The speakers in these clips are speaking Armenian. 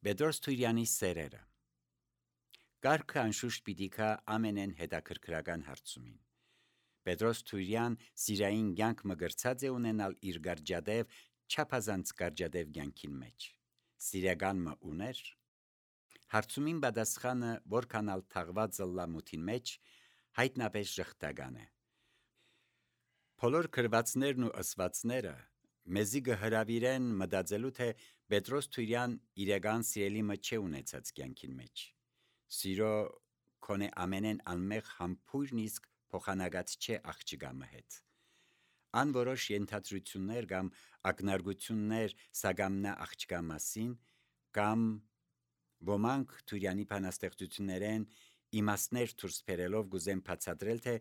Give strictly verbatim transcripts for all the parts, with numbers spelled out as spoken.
Պետրոս Թուրյանի սերերը Կարգը անշուշտ պիտի կա ամենեն հետաքրքրական հարցումին։ Պետրոս Թուրյան սիրային կյանք մգրցած է ունենալ իր գարջադև, չափազանց գարջադև կյանքին մեջ։ Սիրական մը ուներ։ Հարցումին պատասխանը որքանալ թաղված լամութին մեջ հայտնապես ժխտական է։ Բոլոր գրվածներն ու ըսվածները մեզի կհրավիրեն մտածելու, թե Պետրոս Թուրյան իրական սիրելի մը չէ ունեցած կյանքին մեջ։ Սիրո քոնե ամենեն անմեղ համբույրն իսկ փոխանակած չէ աղջկա մը հետ։ Անորոշ ենթադրություններ կամ ակնարկություններ սագամնա աղջկա մասին կամ ոմանք Թուրյանի բանաստեղծություններեն իմաստներ դուրս բերելով գուզեն բացատրել, թե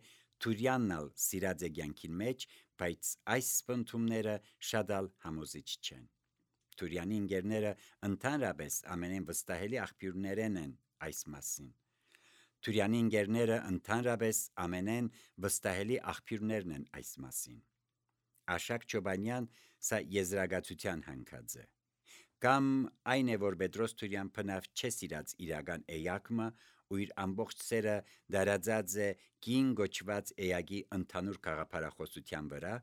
Թուրյանն ալ սիրած է կյանքին մեջ, բայց այս սպնդումները շատ ալ համոզիչ չեն։ Թուրյանի ընկերները ընդհանրապես ամենեն վստահելի աղբյուրներեն են այս մասին։ Թուրյանի ընկերները ընդհանրապես ամենեն վստահելի աղբյուրներն են այս մասին։ Աշակ Չոբանյան սա եզրակացության հանգած է։ Կամ այն է, որ Պետրոս Թուրյան բնավ չէ սիրած իրական էակը ու իր ամբողջ սերը դարածած է կին գոչված էակի ընդհանուր գաղափարախոսության վրա,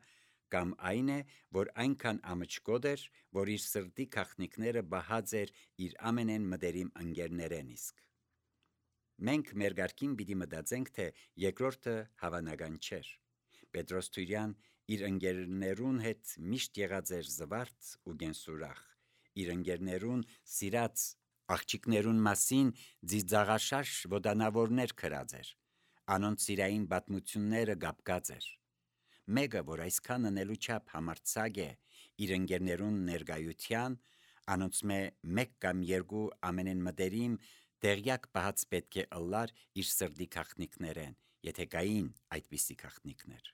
կամ այն է, որ այնքան ամճկոտ էր, որ իր սրտի գաղտնիքները բահած էր իր ամենեն մտերիմ ընկերներեն իսկ։ Մենք մեր կարգին պիտի մտածենք, թե երկրորդը հավանական չէր։ Պետրոս Թուրյան իր ընկերներուն հետ միշտ եղած էր զվարթ ու գենսուրախ, իր ընկերներուն սիրած աղջիկներուն մասին ծիծաղաշարժ ոդանավորներ գրած էր, անոնց սիրային պատմությունները կապկած էր։ Մեկը, որ այսքան անելու չափ համարձակ է իր ընկերներուն ներկայության, անոնց մե մեկ կամ երկու ամենեն մտերիմ տեղյակ բահած պետք է ըլլար իր սրտի գաղտնիքներեն, եթե կային այդպիսի գաղտնիքներ։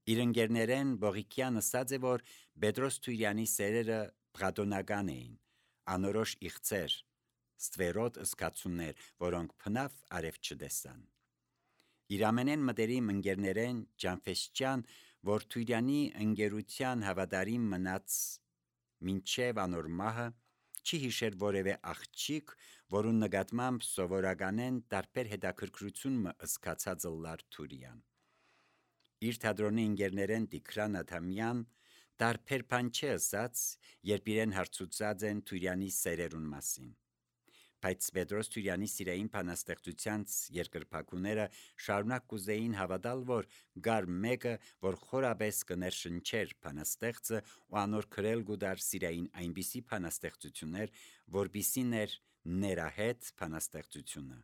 Իր ընկերներեն Բողիկյան ասած է, որ Պետրոս Թուրյանի սերերը պղատոնական էին, անորոշ իղծեր, ստվերոտ ըսկացումներ, որոնք փնավ արև չտեսան։ Իր ամենեն մտերիմ ընկերներեն Ջանֆեսճյան, որ Թուրյանի ընկերության հավատարիմ մնաց մինչև անոր մահը, չի հիշեր որևէ աղջիկ, որուն նկատմամբ սովորականեն տարբեր հետաքրքրություն մը ըսկացած ըլլար Թուրյան։ Իր թատրոնի ընկերներեն Տիգրան Ադամյան տարբեր բան չէ ըսած, երբ իրեն հարցուցած են Թուրյանի սերերուն մասին։ Բայց Պետրոս Թուրյանի սիրային բանաստեղծությանց երկրպագուները շարունակ կուզեին հավատալ, որ գար մեկը, որ խորապես կներշնչեր բանաստեղծը ու անոր գրել գուդար սիրային այնպիսի բանաստեղծություններ, որպիսին էր ներահետ բանաստեղծությունը։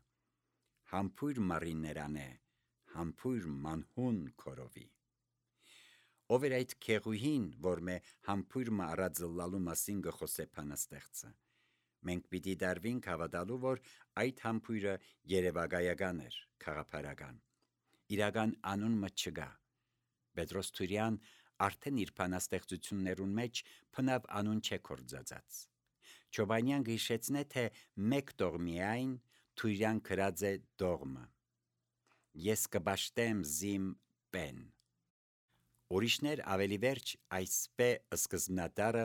Համբույր մարիներան է, համբույր մանհուն քորովի։ Ով էր այդ քեղուհին, որ մե համբույր մը առածլալու մասին գխոսե բանաստեղծը։ Մենք պիտի դարվինք հավատալու, որ այդ համբույրը երևակայական էր, քաղաքապարական։ Իրական անուն մը չկա։ Պետրոս Թուրյան արդեն իր բանաստեղծություններուն մեջ փնավ անուն չէ կործածած։ Չոբանյան գիշեցնե, թե մեկ տողմիայն Թուրյան գրած է դողմը։ Ես կբաշտեմ զիմ պեն։ Ուրիշներ ավելի վերջ այս պե սկզբնատարը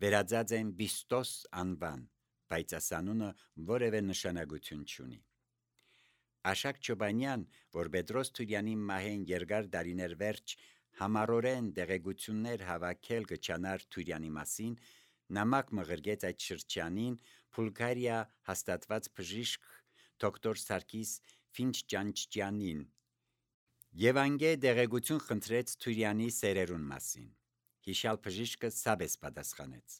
վերածած են Բիստոս անվան, բայց ասանունը որևէ նշանակություն չունի։ Աշակ Չոբանյան, որ Պետրոս Թուրյանի մահեն երկար դարիներ վերջ համառորեն տեղեկություններ հավաքել կչանար Թուրյանի մասին, նամակ մղրգեց այդ շրջանին Բուլգարիա հաստատված բժիշկ դոկտոր Սարգիս Ֆինչճանչճյանին և անգե տեղեկություն խնդրեց Թուրյանի սերերուն մասին։ Հիշյալ բժիշկը սաբես պատասխանեց.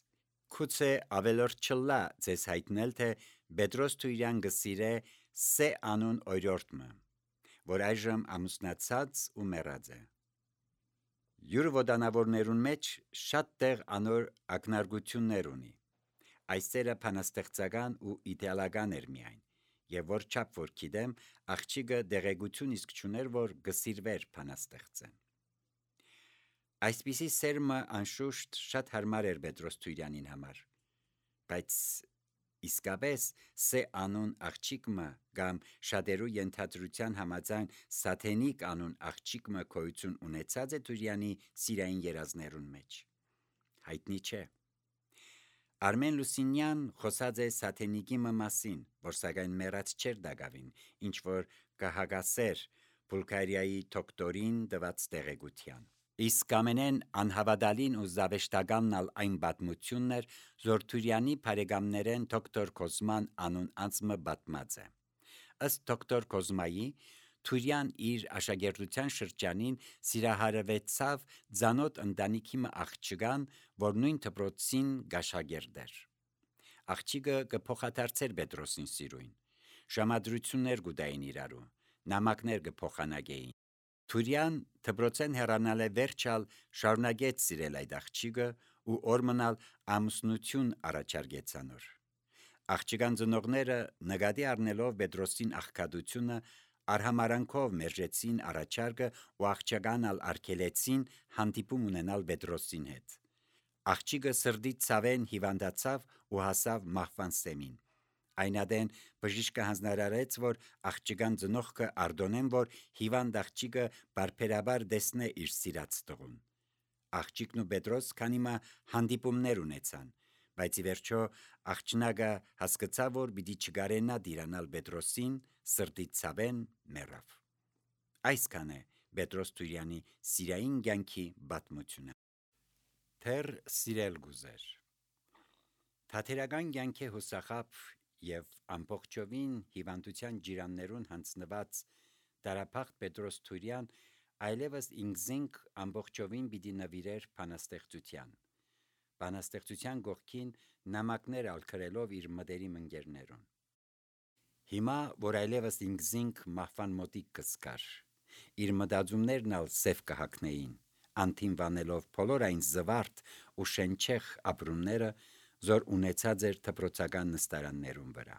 Գուցե ավելորդ չլա ձեզ հայտնել, թե Պետրոս Թուրյան գսիրե Սե անուն օրիորդմը, որ այժմ ամուսնացած ու մեռած է։ Յուր ոդանավորներուն մեջ շատ տեղ անոր ակնարկություններ ունի։ Այս սերը բանաստեղծական ու իդեալական էր միայն, եւ որ չափ որ գիտեմ, աղջիկը դեղեցություն իսկ չուներ, որ գսիրվեր բանաստեղծեն։ Այսպիսի սերմը անշուշտ շատ հարմար էր Պետրոս Թուրյանին համար, բայց իսկապես Սե անուն աղջիկը կամ շատերու ենթադրության համաձայն Սաթենիկ անուն աղջիկը գոյություն ունեցած է Թուրյանի սիրային երազներուն մեջ։ Հայտնի չէ։ Արմեն Լուսինյան խոսած է Սաթենիկի մասին, որ սակայն մեռած չէր դակավին, ինչ որ կհագասեր Բուլղարիայի դոկտորին տված տեղեկության։ Իսկ ամենեն անհավատալին ու զավեշտականն ալ այն պատմությունն էր, որ Թուրյանի բարեկամներեն դոկտոր Կոզման անուն անձը պատմած է։ Ըստ դոկտոր Կոզմայի, Թուրյան իր աշակերտության շրջանին սիրահարվեցավ ծանոթ ընտանիքի մը աղջկան, որ նույն դպրոցին գաշագերտ էր։ Աղջիկը կփոխադարձեր Պետրոսին սիրուն, ժամադրություններ կուտային իրարու, նամակներ կփոխանակեին։ Թուրյան դպրոցեն հեռանալ է վերջալ շարունակեց սիրել այդ աղջիկը ու օրմնալ ամուսնություն առաջարկեց անոր։ Աղջկան ծնողները նկատի առնելով Պետրոսին աղքատությունը արհամարանքով մերժեցին առաջարկը ու աղջկան ալ արգելեցին հանդիպում ունենալ Պետրոսին հետ։ Աղջիկը սրտի ցավեն հիվանդացավ ու հասավ մահվան սեմին։ Այնադեն բժիշկը հանձնարարեց, որ աղջկան ծնողքը արտոնեն, որ հիվանդ աղջիկը բարբերաբար տեսնե իր սիրած տղուն։ Աղջիկն ու Պետրոս քանիմա հանդիպումներ ունեցան, բայց ի վերջո աղջնակը հասկացավ, որ պիտի չկարենա դիրանալ Պետրոսին, սրտի ցավեն մեռավ։ Այսքան է Պետրոս Թուրյանի սիրային կյանքի պատմությունը։ Թեր սիրել գուզեր։ Թատերական կյանքի հուսախապ եւ ամբողջովին հիվանդության ջիրաններուն հանձնված դարափախտ Պետրոս Թուրյան այլևս ինքզինք ամբողջովին պիտի նվիրեր բանաստեղծության։ Բանաստեղծության գողքին նամակներ ալքրելով իր մտերիմ ընկերներուն։ Հիմա, որ այլևս ինքզինք մահվան մոտիկ կսկար, իր մտածումներն ալ սև կհակնեին, անթիմվանելով բոլոր այն զվարթ ու շենչեղ ապրումները, զոր ունեցած էր դպրոցական նստարաններուն վրա։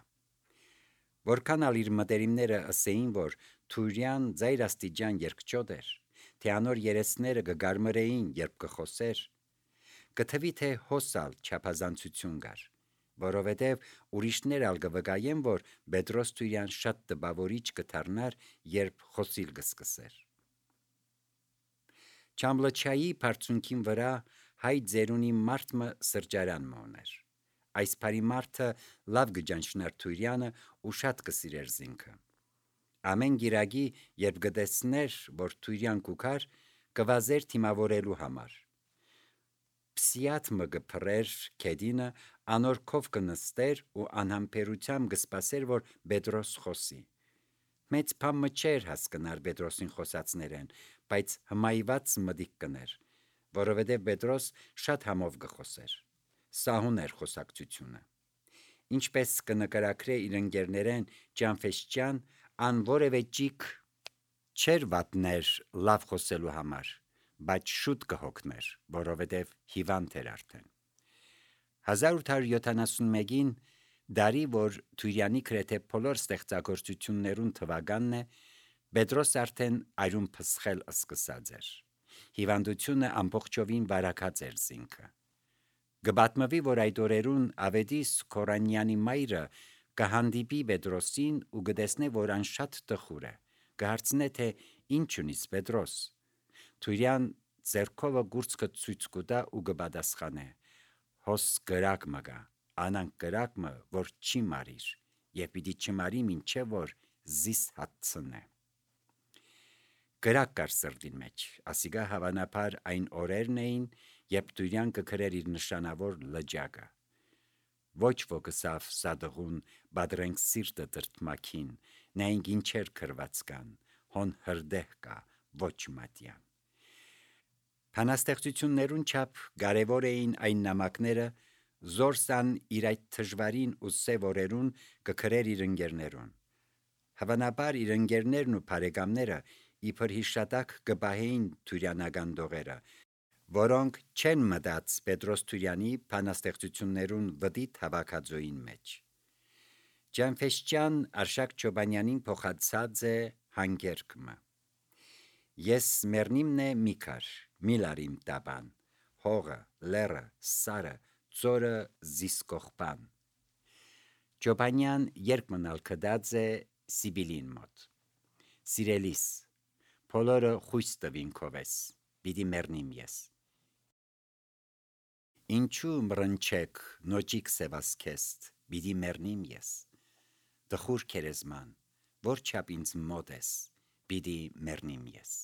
Որքան ալ իր մտերիմները ըսեին, որ Թուրյան ծայրաստիճան երկչոտ էր, թե անոր երեսները կգարմրեին, երբ կխոսեր, կթվի թե հոսալ չափազանցություն կար, որովհետև ուրիշներ ալ կվկայեն, որ Պետրոս Թուրյան շատ տպավորիչ կդառնար, երբ խոսիլ կսկսեր։ Չամլչայի բարձունքին վրա հայ ձերունի մարդը սրճարան մոներ։ Այս բարի մարդը լավ կճանչնար Թուրյանը ու շատ կսիրեր զինքը։ Ամեն գիրագի, երբ գտեսներ, որ Թուրյան կուքար, կվազեր թիմավորելու համար։ Պսիատ մը կփռեր քեդինը, անորքով կնստեր ու անհամբերությամբ կսպասեր, որ Պետրոս խոսի։ Մեծ բան մը չէր հասկնար Պետրոսին խոսածներեն, բայց հմայված մտիկ կներ, որովհետև Պետրոս շատ համով կխոսեր։ Սահուն էր խոսակցությունը։ Ինչպես կնկարագրե իր ընկերներեն Ջանֆեշճյան, ան որևէ ճիք չէր վատներ լավ խոսելու համար, բայց շուտ կհոգներ, որովհետև հիվանդ էր արդեն։ հազար ութ հարյուր յոթանասունմեկին դարի, որ Թուրյանի գրեթե բոլոր ստեղծագործություններուն թվականն է, Պետրոս արդեն այրուն փսխել սկսած էր։ Հիվանդությունը ամբողջովին վարակած էր զինքը։ Գպատմվի, որ այդ օրերուն Ավետիս Քորանյանի մայրը կհանդիպի Պետրոսին ու կտեսնե, որ ան շատ տխուր է, կհարցնե, թե ինչ ունիս Պետրոս։ Թուրյան ձեռքովը գուրծքը ցույց կտա ու կպատասխանե. հոս կրակ մը գա, անանք կրակ մը, որ չի մարիր, եւ պիտի չմարի մինչեւ որ զիս հացնե։ Կրակ կար սրտին մեջ, ասիկա հավանաբար այն օրերն էին, երբ Թուրյան կգրեր իր նշանավոր լճակը։ Ոչ ոքսավ սադղուն բادرենք սիրտը տրտմակին, նայինք ինչեր քրված կան, հոն հրդեհ կա, ոչ մատյան։ Բանաստեղծություններուն չափ կարևոր էին այն նամակները, զորսան իր այդ թժվարին ու սև օրերուն կգրեր իր ընկերներուն։ Հավանաբար իր ընկերներն ու բարեկամները իբր հիշատակ կպահեին թուրյանական դողերը, որոնք չեն մտած Պետրոս Թուրյանի բանաստեղծություններուն վտիտ հավաքածոյին մեջ։ Ջանֆեշճյան Արշակ Չոբանյանին փոխանցած է հանգերքը։ Ես մեռնիմն է մի քար, միլարիմ տաբան, հողը, լերը, սարը, ծորը զիսկողբան։ Չոբանյան երկմնալ կդած է Սիբիլին մոտ։ Սիրելիս, բոլորը խույս տվին քովես, պիտի մեռնիմ ես։ Ինչու մռնչեք նոճիկ սևասքեստ, բիդի մեռնիմ ես, տխուր քերեզման, որ չափ ինձ մոտ ես, բիդի մեռնիմ ես։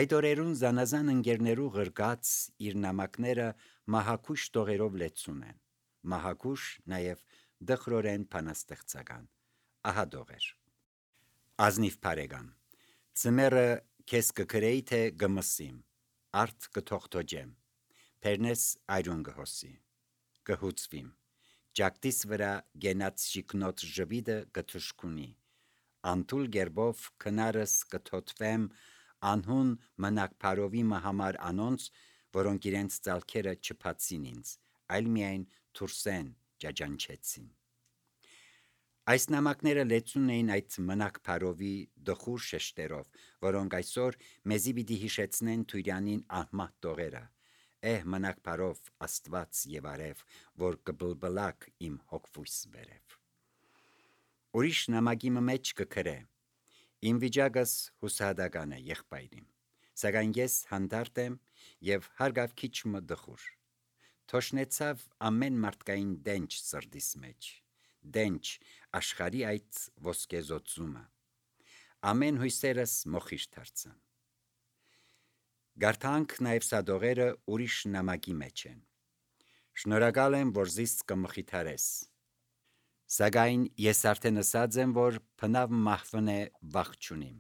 Այդ օրերուն զանազան ընկերներու ղրկած իր նամակները մահակուշ տողերով լեցուն են, մահակուշ նաև դխրորեն փանաստեղծական, ահա դողեր։ Ազնիվ բարեկամ, ծմերը քեզ կգրեի թե գմսիմ, արդ կթողթոջեմ, Պերնես այրուն գհոսի, կհուծվիմ, ջակտիս վրա գենած շիկնոտ ժվիդը կթշկունի, անտուլ գերբով քնարս կթոթվեմ անհուն մնակ պարովիմը համար անոնց, որոնք իրենց ծալքերը չփացին ինձ, այլ միայն թուրսեն ջաջանչեցին։ Այս նամակները լեցուն էին այդ մնակ պարովի դխուր շեշտերով, որոնք այսօր մեզի պիտի հիշեցնեն Թուրյանին ահմատ տողերը, Էհ մնակ պարով Աստված եւ արև, որ կբլբլակ իմ հոգվույս վերև։ Ուրիշ նամակի մեջ կգրե. Իմ վիճակս հուսահատական է եղբայրիմ, սակայն ես հանդարտ եմ եւ հարգավ քիչ մը դխուր։ Թոշնեցավ ամեն մարդկային դենչ սրդիս մեջ, դենչ աշխարի այդ ոսկեզոցումը, ամեն հույսերս մոխիր դարձան։ Գարթանք նաև սադողերը ուրիշ նամակի մեջ են։ Շնորհակալ եմ, որ զիս կմխիթարես։ Սակայն ես արդեն ասած եմ, որ փնավ մահվն է վախ չունիմ,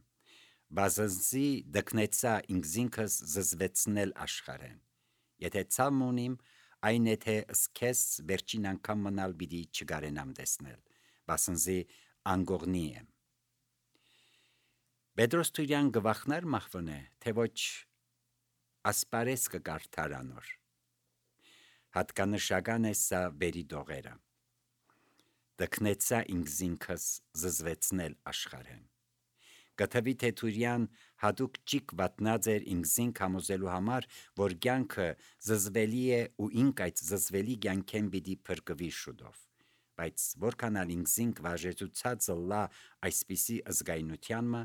բազզի դկնեցա ինքզինքս զզվեցնել աշխարհեն։ Եթե ցամ ունիմ, այն է թե սկես վերջին անգամ մնալ պիտի չգարենամ տեսնել, բասնզի անգողնի եմ։ Պետրոս Թուրյան գվախնար մահվն է, թե ոչ ասպարես կկարդար անոր։ Հատկանշական է սա բերի դողերը։ Դկնեցա ինքզինքս զզվեցնել աշխարհեն։ Կթվի թե Թուրյան հատուկ ճիկ վատնած էր ինքզինք համոզելու համար, որ կյանքը զզվելի է ու ինք այդ զզվելի կյանքեն պիտի փրկվի շուտով, բայց որքան ալ ինքզինք վաժեցուցած լա այսպիսի ըզգայնությանմը,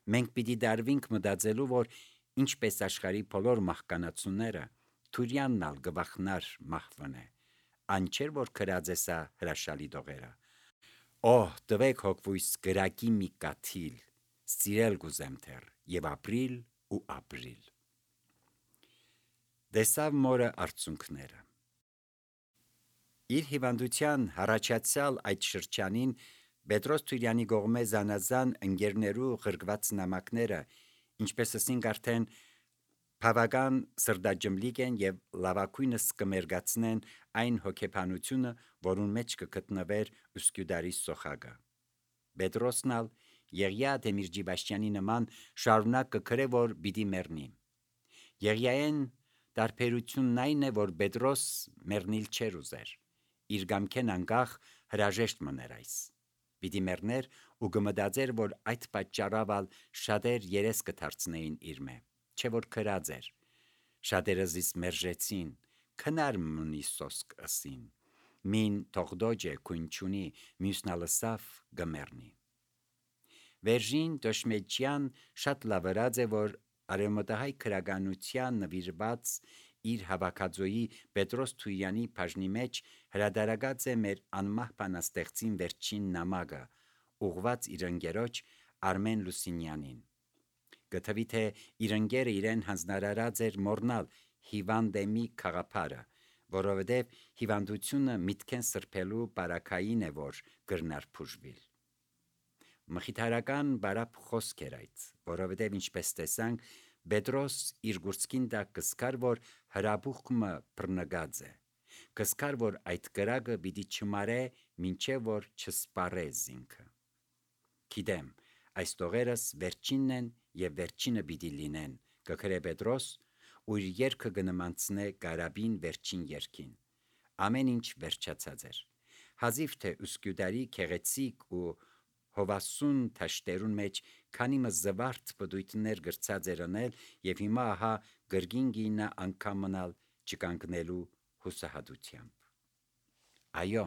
մենք պիտի դարվինք մտածելու, որ ինչպես աշխարհի բոլոր մահկանացուները, Թուրյանն ալ գվախնար մահվն է, անչեր որ քրած է սա հրաշալի դողերը։ Օհ, տվեք հոգվույս գրակի մի կաթիլ, սիրել գուզեմ թեր, եւ ապրիլ ու ապրիլ։ Դեսավ մորը արցունքները։ Իր հիվանդության հառաջացյալ այդ շրջանին Պետրոս Թուրյանի գողմե զանազան ընկերներու ղրկված նամակները, ինչպես ասինք արդեն, բավական սրդաջմլիկ են եւ լավակույնս կմերգացնեն այն հոգեբանությունը, որուն մեջ կգտնվեր Ուսկյուդարի սոխագը։ Պետրոսն ալ Եղիա Դեմիրճիբաշյանի նման շարունակ կգրե, որ պիտի մեռնի։ Եղիային տարբերությունն այն է, որ Պետրոս մեռնիլ չէր ուզեր, իր գամքեն անկախ հրաժեշտ մներ այս։ Պիտի մեռներ ու կմտածեր, որ այդ պատճառով ալ շատեր երես կդարձնեին իր մե, չէ որ քրած էր։ Շատերը զիս մերժեցին, քնար մնի սոսկ ըսին, մին թողդոջե քունչունի, մյուսնալսավ գմերնի։ Վերժին Դոշմեջյան շատ լավրած է, որ արևմտահայ քրագանության նվիրված իր հավաքածոյի Պետրոս Թուրյանի բաժնի մեջ հրադարագած է մեր անմահ բանաստեղծին վերջին նամակը, ուղված իր ընկերոջ Արմեն Լուսինյանին։ Գտվի թե իր ընկերը իրեն հանձնարարած էր մոռնալ հիվանդեմի խաղապարը, որովհետև հիվանդությունը միտքեն սրբելու բարակային է, որ գրնար փուժվիլ։ Մխիթարական բարապ խոսք էր այդ, որովհետև ինչպես տեսանք, Պետրոս իր գուրցքին տակ կսկար, որ հրաբուխմը բռնգած է, կսկար, որ այդ կրակը պիտի չմարե, մինչև որ չսպարե զինքը։ Գիտեմ, այս տողերս վերջինն են եւ վերջինը պիտի լինեն, կգրե Պետրոս, ու իր երգը կնմանցնե Կարաբին վերջին երգին։ Ամեն ինչ վերջացած էր։ Հազիվ թե Ուսկյուդարի քեղեցիկ ու հովասուն թաշտերուն մեջ քանիմը զվարթ պտույտներ գրծած էր անել եւ հիմա ահա գրգին գինա անգամ մնալ չկանգնելու հուսահատությամբ։ Այո,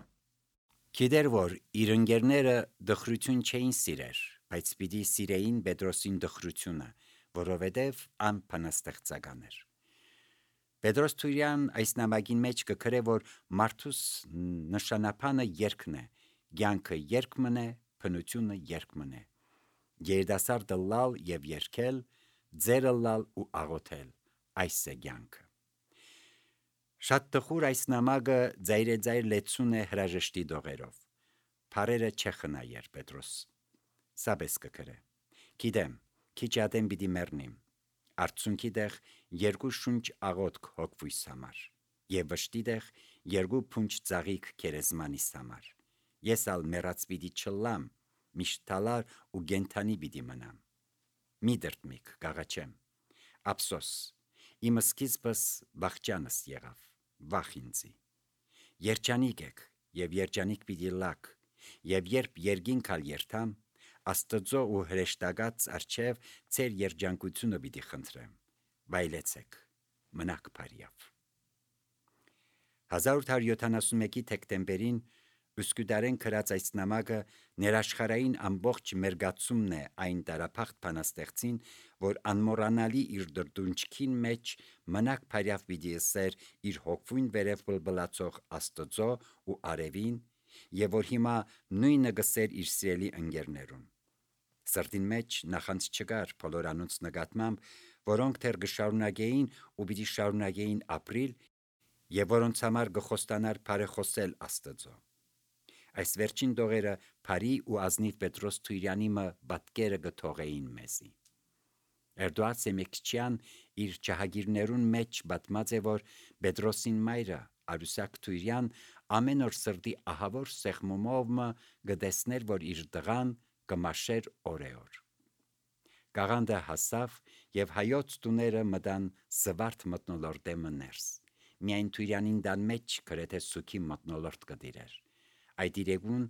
գիտեր որ իր ընկերները դխրություն չէին սիրեր, բայց պիտի սիրեին Պետրոսին դխրությունը, որովհետև անփանաստեղծական էր։ Պետրոս Թուրյան այս նամակին մեջ կգրե, որ մարդուս նշանապանը երկն է, կյանքը երկ մնե, փնությունը երկ մնե։ Երիտասարդը լալ եւ երգել, ձերը լալ ու աղոթել, այս է կյանքը։ Շատ տխուր այս նամակը ձայրեձայր լեցուն է հրաժեշտի դողերով։ Փարերը չխնայեր Պետրոս։ Սաբես կգրե։ Գիտեմ, քիչ ադեմ պիտի մեռնիմ։ Արցունքի դեղ երկու շունչ աղոթք հոգվույս համար եւ վշտի դեղ երկու փունջ ծաղիկ քերեզմանիս համար։ Ես ալ մեռած պիտի չլամ, միշտ թալար ու գենթանի պիտի մնամ։ Մի դրտմիկ գաղաչեմ։ Ափսոս, իմ սկիզբս բախճանս եղավ, վախ ինձի։ Երջանիկ եք եւ երջանիկ պիտի լաք, եւ երբ երգինքալ երթամ, Աստծո ու հրեշտակած արչև ծեր երջանկությունը պիտի խնդրեմ, վայլեցեք, մնաք բարյավ։ հազար ութ հարյուր յոթանասունմեկի թեկտեմբերին Üsküdarեն գրած այս նամակը ներաշխարհային ամբողջ մերգացումն է այն տարափախտ բանաստեղծին, որ անմոռանալի իր դրդունչքին մեջ մնաք բարյավ պիտի ըսեր իր հոգվույն վերև բլբլացող Աստծո ու արևին, եւ որ հիմա նույնը գսեր իր սիրելի ընկերներուն։ Սրտին մեջ նախանց չկար բոլոր անոնց նկատմամբ, որոնք դեռ գշարունակեին ու պիտի շարունակեին ապրիլ, եւ որոնց համար գխոստանար բարեխոսել Աստծո։ Այս վերջին դողերը Փարի ու ազնիվ Պետրոս Թուրյանի պատկերը գթողեին մեզի։ Էրդոած Սեմեկչյան իր ճահագիրներուն մեջ պատմած է, որ Պետրոսին մայրը Արուսակ Թուրյան ամեն օր սրտի ահավոր սեղմումով գտեսներ, որ իր տղան կմաշեր օրեոր։ Գաղանդը հասավ եւ հայոց տուները մտան զվարթ մտնոլորտեմը ներս։ Միայն Թուրյանին դան մեջ գրեթե սուքի մտնոլորտ կդիրեր։ Այդ իրեգուն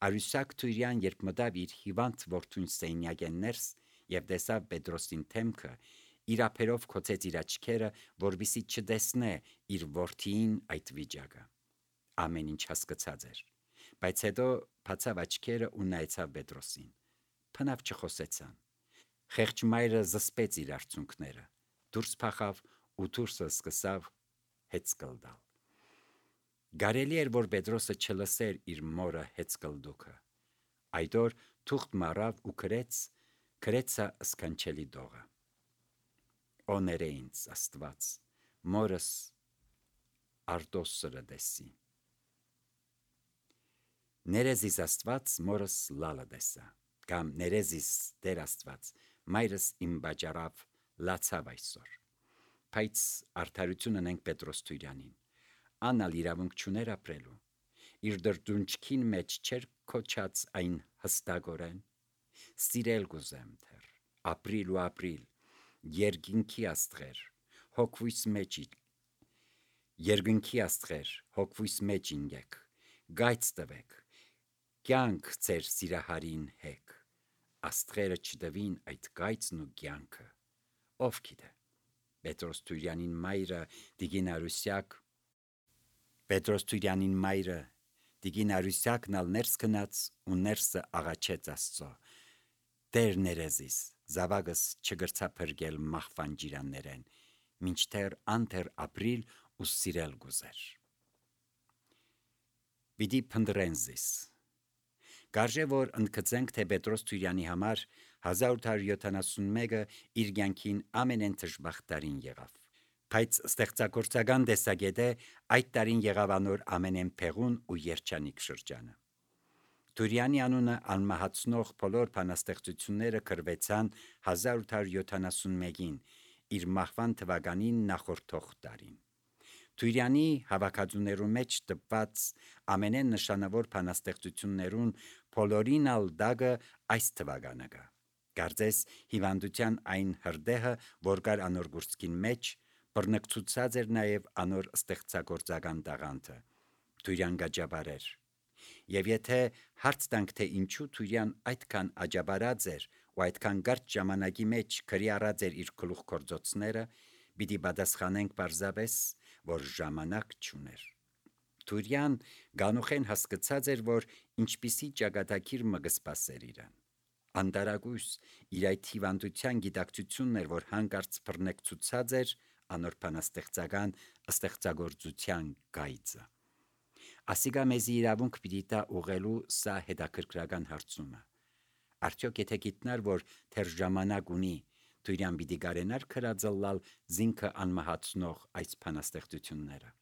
Արուսակ Թուրյան երբ մտավ իր հիվանդ որդուն սենյակեն ներս եւ տեսավ Պետրոսին թեմքը, իր ափերով քոցեց իր աչքերը, որպեսզի չտեսնե իր որդին այդ վիճակը։ Ամեն ինչ հասկացած էր, բայց հետո բացավ աչքերը ու նայեցավ Պետրոսին։ Փնավ չխոսեցան։ Խեղճ մայրը զսպեց իր արցունքները, դուրս փախավ ու դուրսը սկսավ հեծկլդալ։ Գարելի էր, որ Պետրոսը չլսեր իր մորը հեծկլդուքը։ Այդ օր թուղթ մառավ ու գրեց, գրեցա սքանչելի դողը։ Օներ է ինձ Աստված, մորս Արտոսը դեսի։ Ներեզիս Աստված մորս լալը դեսա, կամ ներեզիս Տեր Աստված, մայրս իմ բաճարավ լացավ այսօր։ Բայց արդարությունն ենք Պետրոս Թուրյանին, անալ իրավունք չուներ ապրելու, իր դրդունչքին մեջ չեր քոչած այն հստակորեն, սիրել գուզեմ թեր, ապրիլ ու ապրիլ, երգինքի աստղեր, հոգվույս մեջ Երգնքի աստղեր, հոգվույս մեջ ինգեք, գայց տվեք, կյանք ձեր սիրահարին հեք, աստղերը չդվին այդ գայցն ու կյանքը, ով գիտե, Պետրոս Թուրյանին մայրը Տիգին Արուսյակ, Պետրոս Թուրյանին մայրը Տիգին Արուսյակն ալ ներս գնաց ու ներսը աղաչեց Աստծո, Տեր ներեզիս, զավակս չգրցա փրկել մահվան ջիրաններեն, մինչդեռ անթեր ապրիլ ու սիրել գուզեր։ Պիտի փնդրեն զիս։ Կարժե որ ընդգծենք, թե Պետրոս Թուրյանի համար հազար ութ հարյուր յոթանասունմեկը իր կյանքին ամենեն դժբախտ տարին եղավ։ Բայց ստեղծագործական տեսակետը այդ տարին եղավ անոր ամենեն փեղուն ու երջանիկ շրջանը։ Թուրյանի անունը անմահացնող բոլոր բանաստեղծությունները գրվեցան հազար ութ հարյուր յոթանասունմեկին, իր մահվան թվականին նախորդող տարին։ Թուրյանի հավաքածուներու մեջ տպված ամենեն նշանավոր բանաստեղծություններուն բոլորին ալ դագը այս թվականը կա։ Կարծես հիվանդության այն հրդեհը, որ կար անոր գործքին մեջ, բռնկցուցած էր նաև անոր ստեղծագործական տաղանդը։ Թուրյան գաջաբար էր։ Եվ եթե հարց տանք, թե ինչու Թուրյան այդքան աջաբարած էր ու այդքան կարճ ժամանակի մեջ գրի առած էր իր գլուխ գործոցները, պիտի պատասխանենք պարզապես, որ ժամանակ չուներ։ Թուրյան գանուխեն հասկացած էր, որ ինչպիսի ճակատագիր մը կսպասեր իրան։ Անտարակույս իր այդ հիվանդության գիտակցությունն էր, որ հանկարծ բռնկցուցած էր անոր բանաստեղծական ստեղծագործության գայծը։ Ասիկա մեզի իրավունք պիտի տա ուղղելու սա հետաքրքրական հարցումը։ Արդյոք եթե գիտնար, որ թեր ժամանակ ունի, Թուրյան պիտի գարենար քրածլալ զինքը անմահացնող այս բանաստեղծությունները։